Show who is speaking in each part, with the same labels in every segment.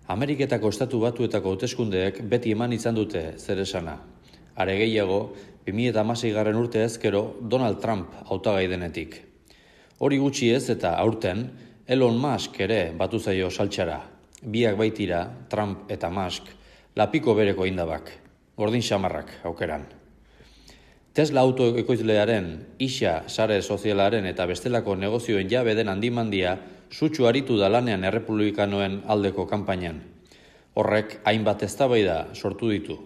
Speaker 1: Ameriketako Estatu Batuetako hauteskundeek beti eman izan dute zer esana. Are gehiago, 2016 urte ezkero Donald Trump hautagai denetik. Hori gutxi ez eta aurten, Elon Musk ere batu zaio saltxara. Biak baitira, Trump eta Musk, lapiko bereko indabak, gordin xamarrak aukeran. Tesla autoekoizlearen, isa sare sozialaren eta bestelako negozioen jabe den handimandia sutsu aritu da lanean errepublikanoen aldeko kanpainan. Horrek hainbat eztabaida sortu ditu.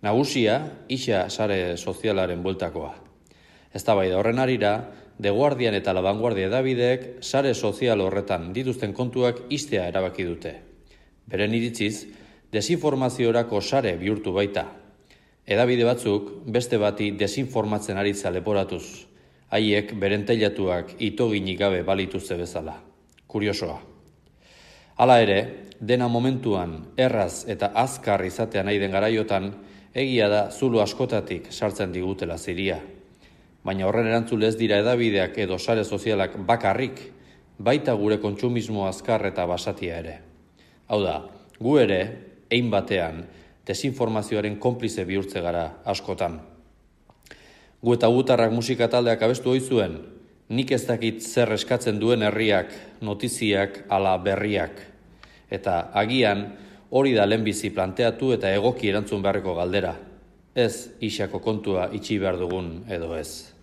Speaker 1: Nagusia, isa sare sozialaren bueltakoa. Eztabaida horren arira, The Guardian eta La Vanguardia edabideek sare sozial horretan dituzten kontuak ixtea erabaki dute. Beren iritziz, desinformaziorako sare bihurtu baita. Edabide batzuk beste bati desinformatzen aritza leporatuz, haiek beren teilatuak itoginik gabe balituzte bezala. Kuriosoa. Hala ere, dena momentuan erraz eta azkar izatea nahi den garaiotan, egia da zulo askotatik sartzen digutela ziria. Baina horren erantzule ez dira edabideak edo sare sozialak bakarrik, baita gure kontsumismo azkar eta basatia ere. Hau da, gu ere, hein batean, desinformazioaren konplize bihurtze gara askotan. Gu eta gutarrak musika taldeak abestu ohi zuen, nik ez dakit zer eskatzen duen herriak, notiziak ala berriak. Eta agian hori da lehenbizi planteatu eta egoki erantzun beharreko galdera. Ez isako kontua itxi behar dugun edo ez.